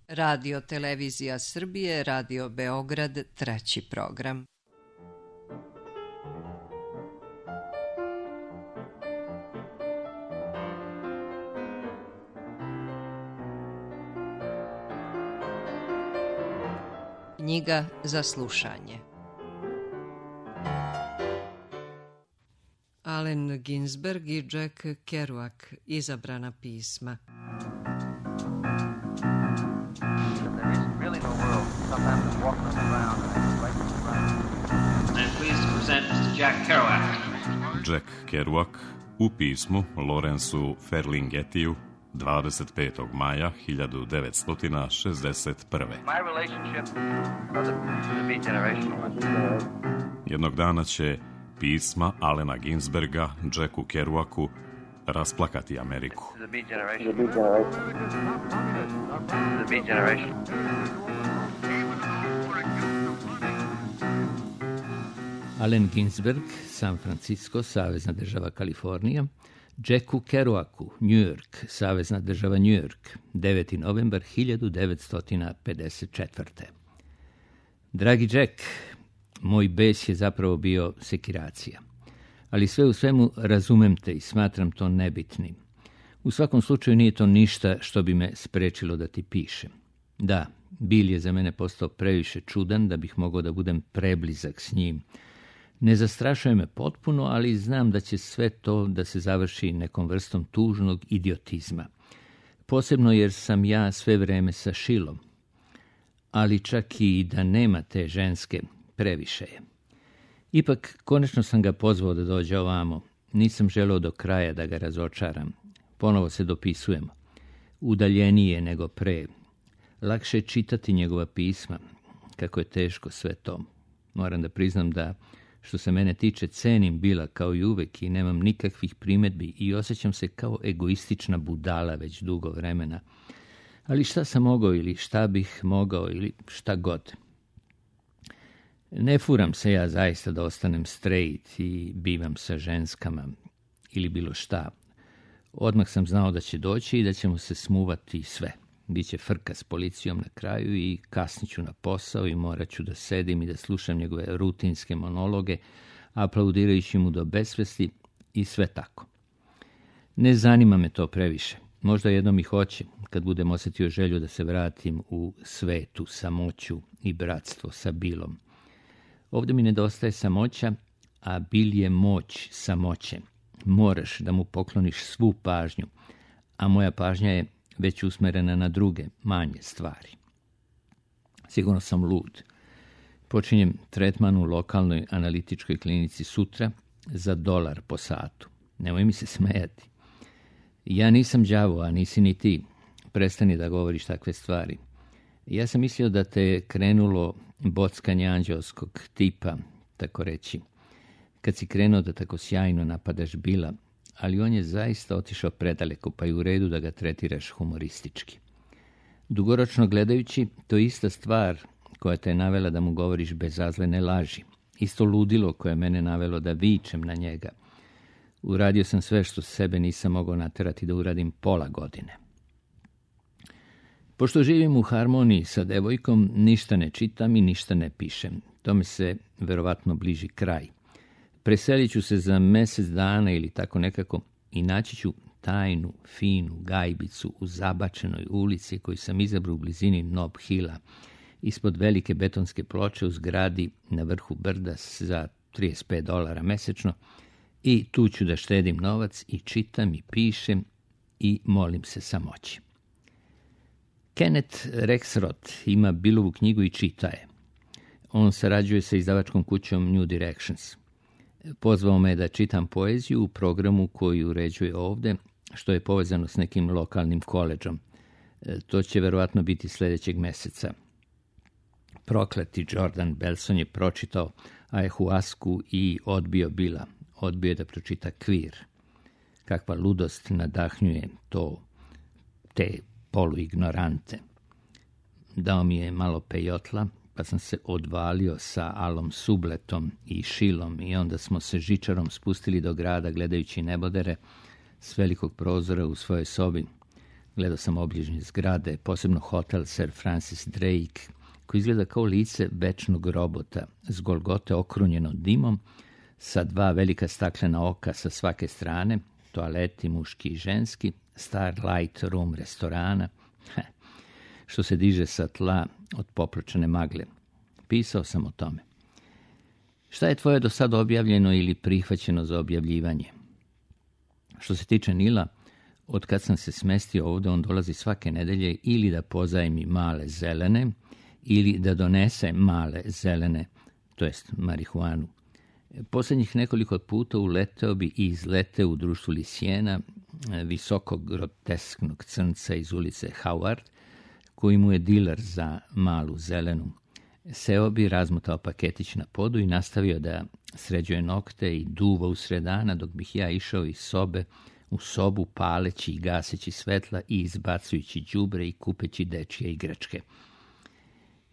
Radio Televizija Srbije, Radio Beograd, 3. program. Knjiga za slušanje. Allen Ginsberg i Jack Kerouac, izabrana pisma. Jack Kerouac u pismu Lawrenceu Ferlinghettiju 25. maja 1961. Jednog dana će pisma Allena Ginsberga Jacku Kerouacu rasplakati Ameriku. Allen Ginsberg, San Francisco, Savezna država Kalifornija, Jacku Kerouacu, New York, Savezna država New York, 9. novembar 1954. Dragi Jack, moj bes je zapravo bio sekiracija, ali sve u svemu razumem te i smatram to nebitnim. U svakom slučaju nije to ništa što bi me sprečilo da ti pišem. Da, Bill je za mene postao previše čudan da bih mogao da budem preblizak s njim. Ne zastrašuje me potpuno, ali znam da će sve to da se završi nekom vrstom tužnog idiotizma. Posebno jer sam ja sve vreme sa Shilom. Ali čak i da nema te ženske, previše je. Ipak, konačno sam ga pozvao da dođe ovamo. Nisam želeo do kraja da ga razočaram. Ponovo se dopisujemo. Udaljenije nego pre. Lakše je čitati njegova pisma. Kako je teško sve to. Moram da priznam da, što se mene tiče, cenim Billa kao i uvek i nemam nikakvih primedbi i osjećam se kao egoistična budala već dugo vremena. Ali šta sam mogao ili šta bih mogao ili šta god. Ne furam se ja zaista da ostanem straight i bivam sa ženskama ili bilo šta. Odmah sam znao da će doći i da ćemo se smuvati sve. Biće frka s policijom na kraju i kasniću na posao i morat ću da sedim i da slušam njegove rutinske monologe, aplaudirajući mu do besvesti i sve tako. Ne zanima me to previše. Možda jednom i hoće, kad budem osjetio želju da se vratim u svetu, samoću i bratstvo sa Billom. Ovdje mi nedostaje samoća, a Bill je moć samoće. Moraš da mu pokloniš svu pažnju, a moja pažnja je već usmerena na druge, manje stvari. Sigurno sam lud. Počinjem tretman u lokalnoj analitičkoj klinici sutra za $1 po satu. Nemoj mi se smejati. Ja nisam đavo, a nisi ni ti. Prestani da govoriš takve stvari. Ja sam mislio da te je krenulo bockanje anđelskog tipa, tako reći, kad si krenuo da tako sjajno napadaš Billa, ali on je zaista otišao predaleko, pa je u redu da ga tretiraš humoristički. Dugoročno gledajući, to je ista stvar koja te je navela da mu govoriš bezazlene laži. Isto ludilo koje je mene navelo da vičem na njega. Uradio sam sve što sebe nisam mogao naterati da uradim pola godine. Pošto živim u harmoniji sa devojkom, ništa ne čitam i ništa ne pišem. Tome se verovatno bliži kraj. Preselit ću se za mjesec dana ili tako nekako i naći ću tajnu, finu gajbicu u zabačenoj ulici koju sam izabrao u blizini Nob Hilla, ispod velike betonske ploče u zgradi na vrhu brda za $35 mesečno, i tu ću da štedim novac i čitam i pišem i molim se samoći. Kenneth Rexroth ima Billovu knjigu i čita je. On sarađuje sa izdavačkom kućom New Directions. Pozvao me da čitam poeziju u programu koji uređuje ovde, što je povezano s nekim lokalnim koledžom. To će verovatno biti sljedećeg meseca. Prokleti Jordan Belson je pročitao Ayahuasku i odbio Billa. Odbio je da pročita Queer. Kakva ludost nadahnjuje te poluignorante. Dao mi je malo pejotla, pa sam se odvalio sa Alom Subletom i Shilom i onda smo se žičarom spustili do grada gledajući nebodere s velikog prozora u svojoj sobi. Gledao sam obližnje zgrade, posebno hotel Sir Francis Drake, koji izgleda kao lice večnog robota, s Golgote okrunjeno dimom, sa 2 velika staklena oka sa svake strane, toaleti muški i ženski, Starlight Room restorana, što se diže sa tla od popločene magle. Pisao sam o tome. Šta je tvoje do sad objavljeno ili prihvaćeno za objavljivanje? Što se tiče Nila, od kad sam se smestio ovdje, on dolazi svake nedelje ili da pozajmi male zelene, ili da donese male zelene, to jest marihuanu. Posljednjih nekoliko puta uleteo bi i izleteo u društvu Lisijena, visokog grotesknog crnca iz ulice Howard, koji mu je diler za malu zelenu. Seo bi, razmotao paketić na podu i nastavio da sređuje nokte i duva usred dana, dok bih ja išao iz sobe u sobu, paleći i gaseći svetla i izbacujući đubre i kupeći dečje igračke.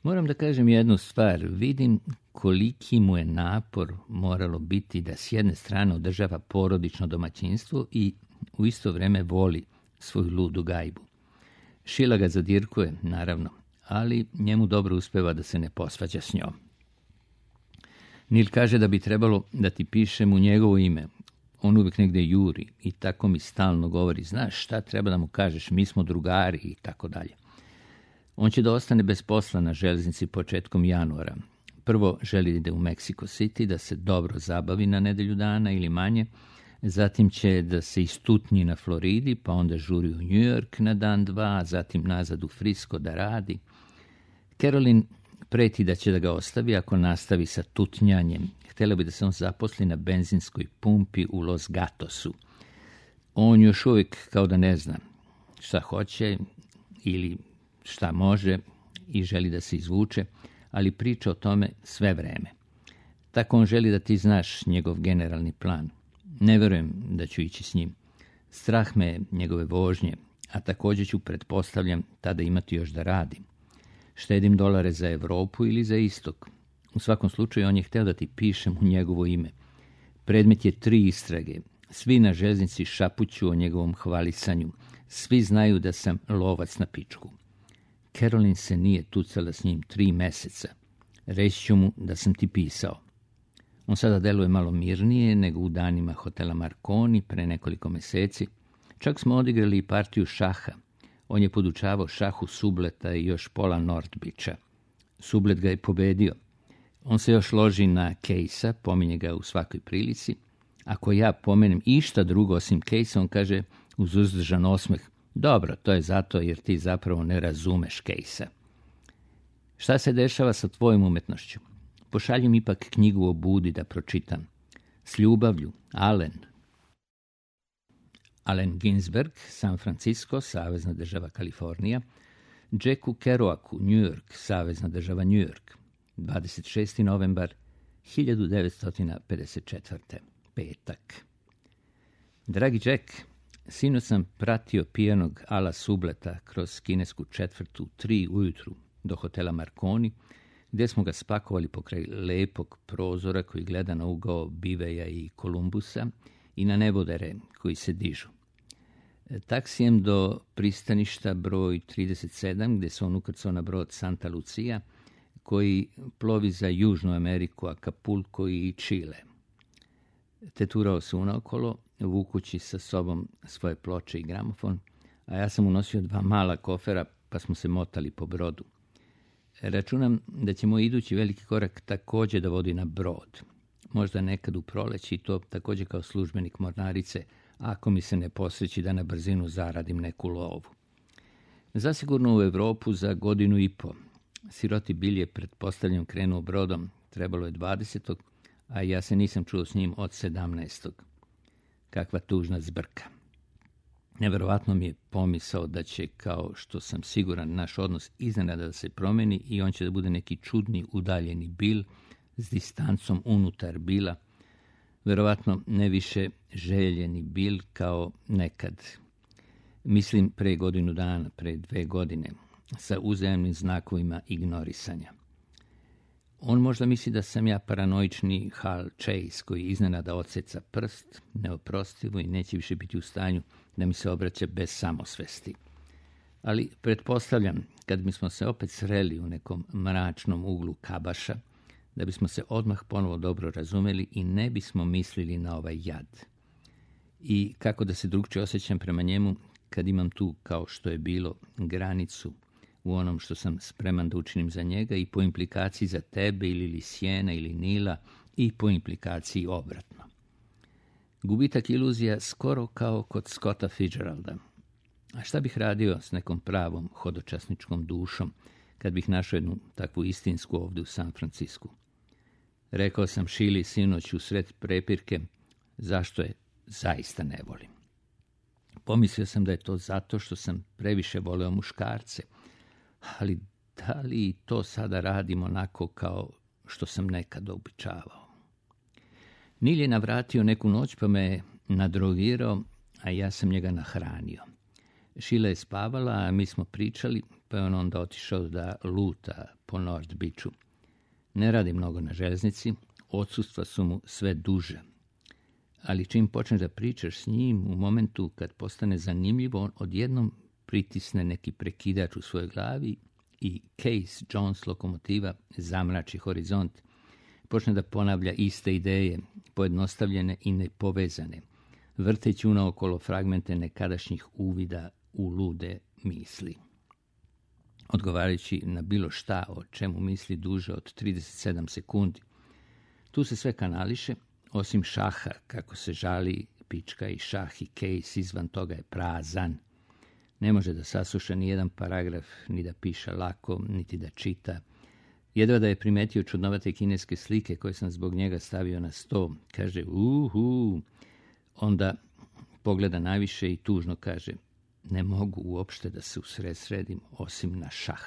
Moram da kažem jednu stvar, vidim koliki mu je napor moralo biti da s jedne strane održava porodično domaćinstvo i u isto vrijeme voli svoju ludu gajbu. Šila ga zadirkuje, naravno, ali njemu dobro uspeva da se ne posvađa s njom. Nil kaže da bi trebalo da ti pišem u njegovo ime. On uvijek negdje juri i tako mi stalno govori, znaš šta treba da mu kažeš, mi smo drugari i tako dalje. On će da ostane bez posla na željeznici početkom januara. Prvo želi da ide u Mexico City, da se dobro zabavi na nedelju dana ili manje, zatim će da se istutnji na Floridi, pa onda žuri u New York na dan 2, zatim nazad u Frisco da radi. Carolyn preti da će da ga ostavi ako nastavi sa tutnjanjem. Htjela bi da se on zaposli na benzinskoj pumpi u Los Gatosu. On još uvijek kao da ne zna šta hoće ili šta može i želi da se izvuče, ali priča o tome sve vreme. Tako on želi da ti znaš njegov generalni plan. Ne vjerujem da ću ići s njim. Strah me njegove vožnje, a također ću, pretpostavljam, tada imati još da radim. Štedim dolare za Europu ili za istok. U svakom slučaju on je htio da ti pišem u njegovo ime. Predmet je 3 istrage. Svi na željeznici šapuću o njegovom hvalisanju. Svi znaju da sam lovac na pičku. Carolyn se nije tucala s njim 3 mjeseca. Reći ću mu da sam ti pisao. On sada deluje malo mirnije nego u danima hotela Marconi pre nekoliko mjeseci. Čak smo odigrali i partiju šaha. On je podučavao šahu Subleta i još pola Nordbića. Sublet ga je pobedio. On se još loži na Casea, pominje ga u svakoj prilici. Ako ja pomenem išta drugo osim Casea, on kaže uz uzdržan osmeh, dobro, to je zato jer ti zapravo ne razumeš Casea. Šta se dešava sa tvojom umetnošću? Pošalji mi ipak knjigu o Budi da pročitam. S ljubavlju, Allen. Allen Ginsberg, San Francisco, Savezna država Kalifornija. Jacku Kerouacu, New York, Savezna država New York. 26. novembar 1954. Petak. Dragi Jack, sinoć sam pratio pijanog Ala Subleta kroz kinesku četvrtu 3 ujutru do hotela Marconi, gdje smo ga spakovali pokraj lepog prozora koji gleda na ugao Biveja i Kolumbusa i na nebodere koji se dižu. Taksijem do pristaništa broj 37, gdje se on ukrcao na brod Santa Lucia, koji plovi za Južnu Ameriku, Acapulco i Čile. Teturao se unaokolo, vukući sa sobom svoje ploče i gramofon, a ja sam unosio 2 mala kofera, pa smo se motali po brodu. Računam da će moj idući veliki korak također da vodi na brod. Možda nekad u proleći i to također kao službenik mornarice, ako mi se ne posreći da na brzinu zaradim neku lovu. Zasigurno u Europu za 1.5 godina. Siroti Bill je pretpostavljam krenuo brodom, trebalo je 20. a ja se nisam čuo s njim od 17. Kakva tužna zbrka. Neverovatno mi je pomisao da će, kao što sam siguran, naš odnos iznenada da se promeni i on će da bude neki čudni udaljeni Bill s distancom unutar Billa. Verovatno ne više željeni Bill kao nekad. Mislim pre 1 godina, pre 2 godine, sa uzajamnim znakovima ignorisanja. On možda misli da sam ja paranoični Hal Chase koji iznenada odseca prst, neoprostivo i neće više biti u stanju da mi se obraća bez samosvesti. Ali pretpostavljam, kad bismo se opet sreli u nekom mračnom uglu kabaša, da bismo se odmah ponovo dobro razumeli i ne bismo mislili na ovaj jad. I kako da se drugčije osjećam prema njemu kad imam tu, kao što je bilo, granicu u onom što sam spreman da učinim za njega i po implikaciji za tebe ili Lisijena ili Nila i po implikaciji obratno. Gubitak iluzija skoro kao kod Scotta Fitzgeralda. A šta bih radio s nekom pravom hodočasničkom dušom kad bih našao jednu takvu istinsku ovdje u San Francisku? Rekao sam Šili sinoć u sred prepirke zašto je zaista ne volim. Pomislio sam da je to zato što sam previše voleo muškarce, ali da li to sada radim onako kao što sam nekad običavao? Nil je navratio neku noć pa me je nadrogirao, a ja sam njega nahranio. Šila je spavala, a mi smo pričali, pa je on onda otišao da luta po North Beachu. Ne radi mnogo na željeznici, odsustva su mu sve duže. Ali čim počneš da pričaš s njim, u momentu kad postane zanimljivo, on odjednom pritisne neki prekidač u svojoj glavi i Case Jones lokomotiva zamrači horizont. Počne da ponavlja iste ideje, pojednostavljene i nepovezane, vrteći unaokolo fragmente nekadašnjih uvida u lude misli. Odgovarajući na bilo šta o čemu misli duže od 37 sekundi. Tu se sve kanališe, osim šaha, kako se žali pička i šah i Case izvan toga je prazan. Ne može da sasluša ni jedan paragraf, ni da piše lako, niti da čita. Jedva da je primetio čudnovate kineske slike koje sam zbog njega stavio na sto. Kaže, onda pogleda najviše i tužno kaže, ne mogu uopšte da se usredsredim osim na šah.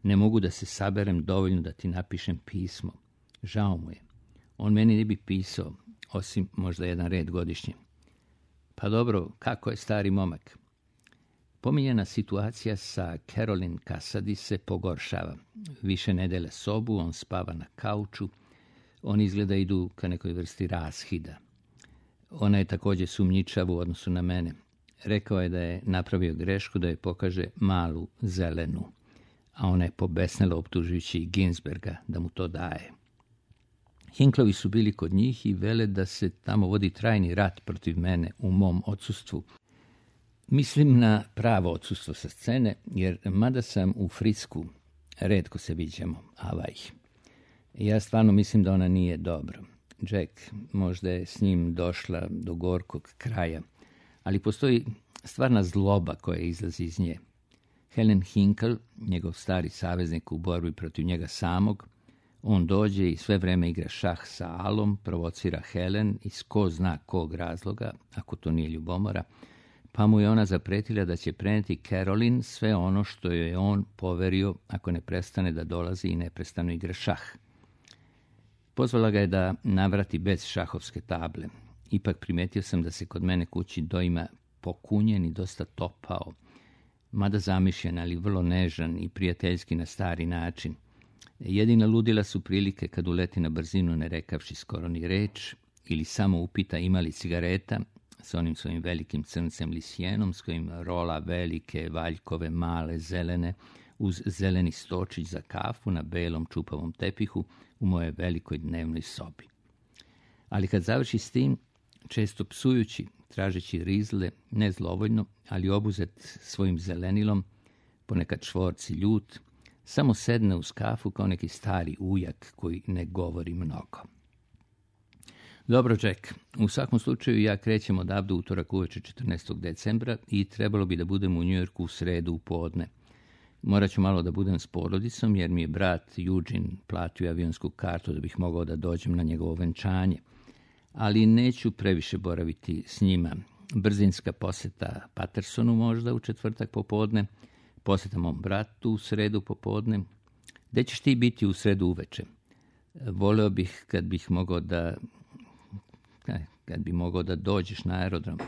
Ne mogu da se saberem dovoljno da ti napišem pismo. Žao mu je. On meni ne bi pisao, osim možda jedan red godišnje. Pa dobro, kako je stari momak? Pominjena situacija sa Carolyn Cassady se pogoršava. Više ne dele sobu, on spava na kauču. Oni izgleda idu ka nekoj vrsti rashida. Ona je također sumnjičava u odnosu na mene. Rekao je da je napravio grešku da je pokaže malu zelenu, a ona je pobesnela optužujući Ginsberga da mu to daje. Hinklovi su bili kod njih i vele da se tamo vodi trajni rat protiv mene u mom odsustvu. Mislim na pravo odsustvo sa scene, jer mada sam u Frisku, retko se viđamo, avaj. Ja stvarno mislim da ona nije dobro. Jack možda je s njim došla do gorkog kraja, ali postoji stvarna zloba koja izlazi iz nje. Helen Hinkle, njegov stari saveznik u borbi protiv njega samog, on dođe i sve vreme igra šah sa Alom, provocira Helen iz ko zna kog razloga, ako to nije ljubomora, pa mu je ona zapretila da će preneti Carolyn sve ono što joj je on poverio ako ne prestane da dolazi i neprestano igra šah. Pozvala ga je da navrati bez šahovske table. Ipak primetio sam da se kod mene kući doima pokunjen i dosta topao, mada zamišljen, ali vrlo nežan i prijateljski na stari način. Jedina ludila su prilike kad uleti na brzinu ne rekavši skoro ni reč, ili samo upita ima li cigareta, s onim svojim velikim crncem Lisijenom s kojim rola velike, valjkove, male, zelene, uz zeleni stočić za kafu na belom čupavom tepihu u mojoj velikoj dnevnoj sobi. Ali kad završi s tim, često psujući, tražeći rizle, ne zlovoljno, ali obuzet svojim zelenilom, ponekad čvorci ljut, samo sedne uz kafu kao neki stari ujak koji ne govori mnogo. Dobro, Jack, u svakom slučaju ja krećem odavde utorak uveče 14. decembra i trebalo bi da budem u Njujorku u sredu u podne. Morat ću malo da budem s porodicom jer mi je brat Eugene platio avionsku kartu da bih mogao da dođem na njegovo venčanje. Ali neću previše boraviti s njima. Brzinska poseta Pattersonu možda u četvrtak popodne, poseta mom bratu u sredu popodne. Gde ćeš ti biti u sredu uveče? Voleo bih kad bi mogao da dođeš na aerodrom,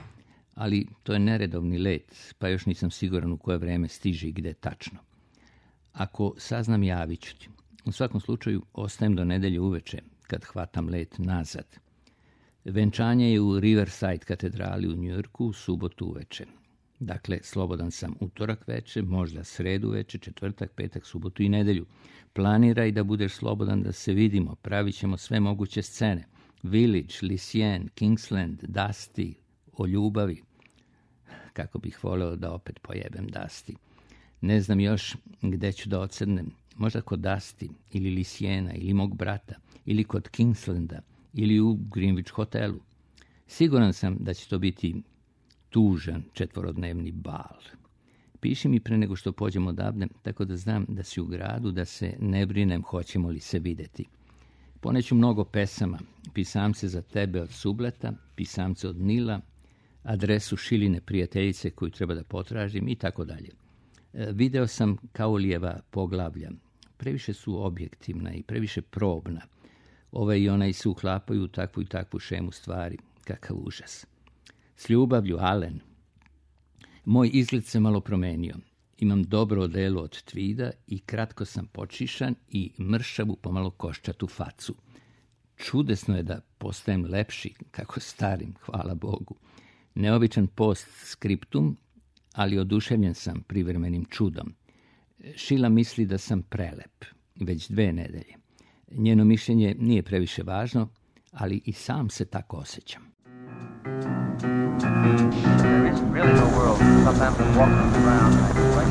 ali to je neredovni let, pa još nisam siguran u koje vreme stiže i gde tačno. Ako saznam, javit ću ti. U svakom slučaju ostajem do nedelje uveče, kad hvatam let nazad. Venčanje je u Riverside katedrali u Njujorku u subotu uveče. Dakle, slobodan sam utorak veče, možda sredu veče, četvrtak, petak, subotu i nedelju. Planiraj da budeš slobodan da se vidimo, pravit ćemo sve moguće scene. Village, Lucien, Kingsland, Dusty, o ljubavi. Kako bih voleo da opet pojebem Dusty. Ne znam još gde ću da ocrnem. Možda kod Dusty, ili Luciena, ili mog brata, ili kod Kingslanda, ili u Greenwich hotelu. Siguran sam da će to biti tužan 4-dnevni bal. Piši mi pre nego što pođem odavde, tako da znam da si u gradu, da se ne brinem hoćemo li se videti. Poneću mnogo pesama, pisamce za tebe od Subleta, pisamce od Nila, adresu Šiline prijateljice koju treba da potražim i tako dalje. Video sam Kaulijeva poglavlja. Previše su objektivna i previše probna. Ove i onaj se uklapaju u takvu i takvu šemu stvari. Kakav užas. S ljubavlju, Alen. Moj izgled se malo promenio. Imam dobro odelo od tvida i kratko sam počišan i mršavu pomalo koščatu facu. Čudesno je da postajem lepši, kako starim, hvala Bogu. Neobičan post skriptum, ali oduševljen sam privremenim čudom. Šila misli da sam prelep, već 2 nedelje. Njeno mišljenje nije previše važno, ali i sam se tako osjećam. There isn't really no world. Sometimes I'm walking around like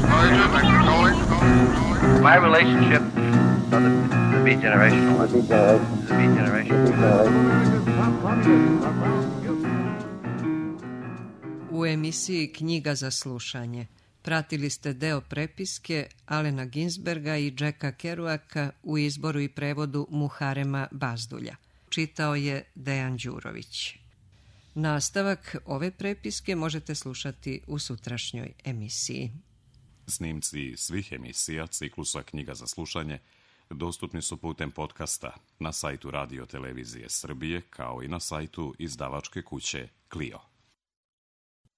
my relationship to be generational. To be generational. U emisiji Knjiga za slušanje pratili ste deo prepiske Alena Ginsberga i Jacka Kerouaka u izboru i prevodu Muharema Bazdulja. Čitao je Dejan Đurović. Nastavak ove prepiske možete slušati u sutrašnjoj emisiji. Snimci svih emisija ciklusa Knjiga za slušanje dostupni su putem podcasta na sajtu Radio Televizije Srbije kao i na sajtu izdavačke kuće Clio.